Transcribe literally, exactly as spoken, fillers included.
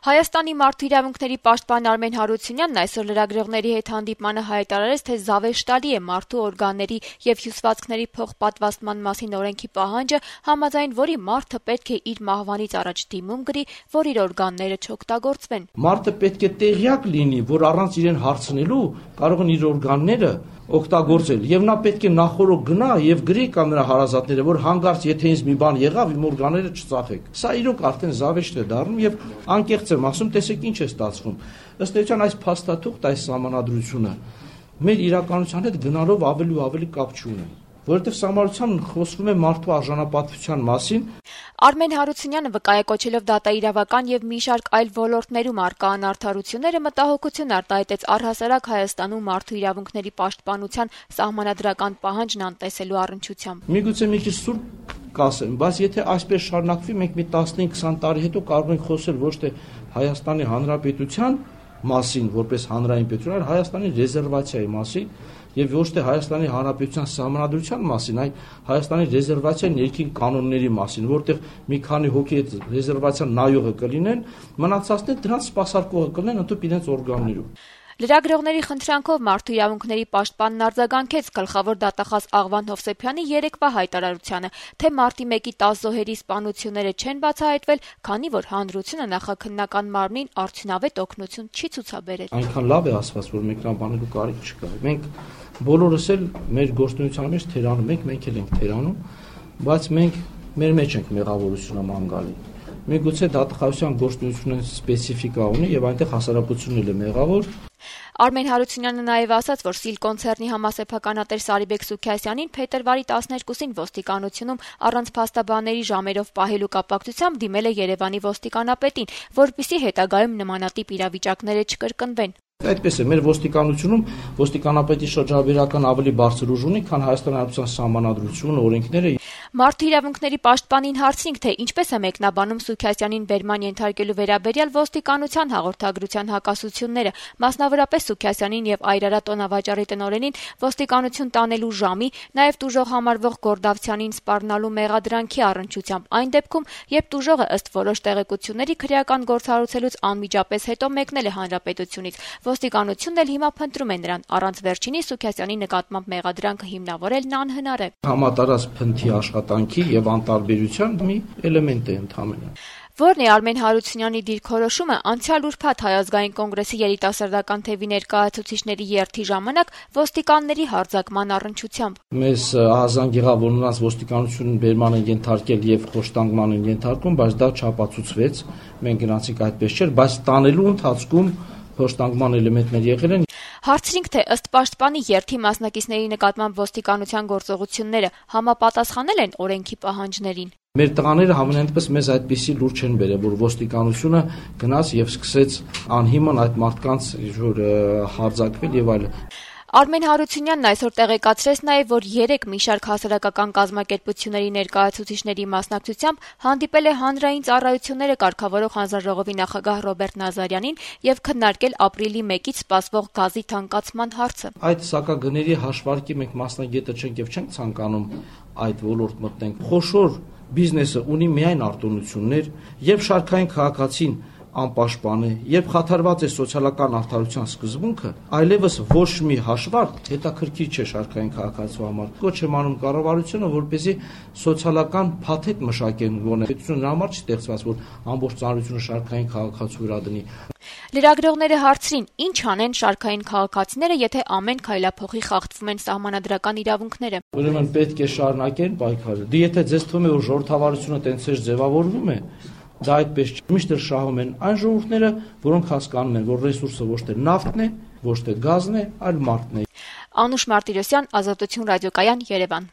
Հայաստանի մարդու իրավունքների պաշտպան Արմեն Հարությունյանն այսօր լրագրողների հետ հանդիպմանը հայտարարեց, թե զավեշտալի է մարդու օրգանների եւ հյուսվածքների փոխպատվաստման մասին օրենքի պահանջը, համաձայն որի մարդը պետք է իր մահվանից առաջ դիմում գրի, որ իր օրգանները չօգտագործվեն։ Մարդը պետք է տեղյակ լինի, որ առանց իրեն հարցնելու կարող են իր օրգանները օգտագործել եւ նա պետք է նախորդ գնա եւ գրի կամ նրա հարազատները, որ հանգարց եթե ինձ մի բան եղավ, իմ օրգանները չծախեք։ Սա իրոք արդեն զավեշտ է դառնում եւ անկեղծ եմ ասում, տեսեք ինչ է ստացվում։ Ըստ էության այս փաստաթուղթ, այս սահմանադրությունը մեր իրականության հետ գնալով ավելի ու ավելի կապ չունի, որովհետեւ սահմանադրության խոսվում է մարդու արժանապատվության մասին։ Արմեն Հարությունյանը վկայակոչելով դատաիրավական եւ մի շարք այլ ոլորտներում առկա անարդարությունները մտահոգություն արտահայտեց առհասարակ Հայաստանում մարդու իրավունքների պաշտպանության սահմանադրական պահանջն անտեսելու առնչությամբ։ Միգուցե մի քիչ սուր կասեմ, բայց եթե այսպես շարունակվի, մենք մի տասնհինգ քսան տարի հետո կարող ենք խոսել ոչ թե Հայաստանի Հանրապետության մասին, որպես հանրային պետություն, այլ Հայաստանի ռեզերվացիայի մասին եւ ոչ թե Հայաստանի Հանրապետության սահմանադրության մասին, այլ Հայաստանի ռեզերվացիայի ներքին կանոնների մասին, որտեղ մի քանի հոգի այդ ռեզերվացիան նայողը կլինեն, մնացածները դրանց սպասարկողը կլինեն ընդհանուր իրենց օրգաններում։ Լրագրողների խնդրանքով մարդու իրավունքների պաշտպանն արձագանքեց գլխավոր դատախազ Աղվան Հովսեփյանի երեկվա հայտարարությանը, թե մարտի մեկի տասը զոհերի սպանությունները չեն բացահայտվել, քանի որ հանրությունը նախաքննական մարմնին արդյունավետ օգնություն չի ցուցաբերել։ Այնքան լավ է ասված, որ մենք նա բանելու կարիք չկա։ Մենք բոլորս էլ մեր գործունեության մեջ թերանում ենք, մենք էլ ենք թերանում, բայց մենք մեր մեջ ենք մեղավորությունը ման գալի։ Միգուցե դատախազության գործունեությունը սպეციფիկա ունի եւ այնտեղ հասարակությունն էլ է մեղավոր։ Արմեն Հարությունյանը նաև ասաց, որ Սիլ կոնցեռնի համասեփականատեր Սարիբեկ Սուքիասյանին փետրվարի տասներկուսին ոստիկանությունում առանց փաստաբանների ժամերով պահելու կապակցությամբ դիմել է Երևանի ոստիկանապետին, որպեսզի հետագայում նմանատիպ իրավիճակները չկրկնվեն։ Այդպես է, մեր ոստիկանությունում ոստիկանապետի շրջաբերական ավելի բարձր ուժ ունի, քան Հայաստանի Հանրապետության սահմանադրությունը, օրենքները։ Մարդու իրավունքների պաշտպանին հարցրինք, թե ինչպես է մեկնաբանում Սուքիասյանին բերման ենթարկելու վերաբերյալ ոստիկանության հաղորդագրության հակասությունները, մասնավորապես Սուքիասյանին եւ Այրարատ տոնավաճառի տնօրենին ոստիկանություն տանելու ժամի, նաեւ տուժող համարվող Գորդավցյանին սպառնալու մեղադրանքի առնչությամբ, այն դեպքում, երբ տուժողը ըստ որոշ տեղեկությունների քրեական գործառույթելուց անմիջապես հետո մեկնել է հանրապետությունից։ Ոստիկանությունն էլ հիմա փնտրում է նրան, առանց վերջինի Սուքիասյանի նկատմամբ մեղադրանքը հիմնավորելն անհնար է։ Համատարած փնթի աշխատանքի եւ անտարբերության մի էլեմենտ է ընդհանրապես։ Որն է Արմեն Հարությունյանի դիրքորոշումը անցյալ ուրբաթ Հայ ազգային կոնգրեսի երիտասարդական թևի ներկայացուցիչների երթի ժամանակ ոստիկանների հարձակման առնչությամբ։ Մեզ ահազանգ եղավ, որ նրանց ոստիկանությունն բերման են ենթարկել եւ խոշտանգման են ենթարկում, բայց դա չապացուցվեց։ Մենք գնացինք այդպես չէր, բայց տանելու ընթացքում խոշտանգման էլեմենտներ եղել են։ Հարցրինք, թե ըստ պաշտպանի երթի մասնակիցների նկատմամբ ոստիկանության գործողությունները համապատասխանել են օրենքի պահանջներին։ Մեր տղաները համենայնպես մեզ այդպիսի լուր չեն բերել, որ ոստիկանությունը գնաց եւ սկսեց անհիմն այդ մարդկանց հարձակվել եւ այլն։ Արմեն Հարությունյանն այսօր տեղեկացրեց նաև, որ երեք մի շարք հասարակական կազմակերպությունների ներկայացուցիչների մասնակցությամբ հանդիպել է հանրային ծառայությունները կարգավորող հանձնաժողովի նախագահ Ռոբերտ Նազարյանին եւ քննարկել ապրիլի մեկից սպասվող գազի թանկացման հարցը։ Այդ սակագների հաշվարկի մենք մասնագետը չենք եւ չենք ցանկանում այդ ոլորտ մտնենք։ Խոշոր բիզնեսը ունի միայն արտոնություններ եւ շարքային քաղաքացին անպաշտպան է, երբ խաթարված է սոցիալական արդարության սկզբունքը, այլևս ոչ մի հաշվարկ հետաքրքիր չէ շարքային քաղաքացու համար։ Կոչ եմ անում կառավարությունը, որպեսզի սոցիալական փաթեթ մշակեն գոնե։ Պետությունը համար չի ստեղծված, որ ամբողջ ծանրությունը շարքային քաղաքացու վրա դնի։ Լրագրողները հարցրին, ինչ անեն շարքային քաղաքացիները, եթե ամեն քայլափոխի խախտվում են սահմանադրական իրավունքները։ Ուրեմն պետք է շարունակեն պայքարը։ Դե եթե ձեզ թվում է, որ ժողովրդավարությունը տենց է ձևավորվում է, դա այդպես չէ։ Միշտ շահում են այն ժողովուրդները, որոնք հասկանում են, որ ռեսուրսը ոչ թե նավթն է, ոչ թե գազն է, այլ մարդն է։ Անուշ Մարտիրոսյան, Ազատություն ռադիոկայան, Երևան։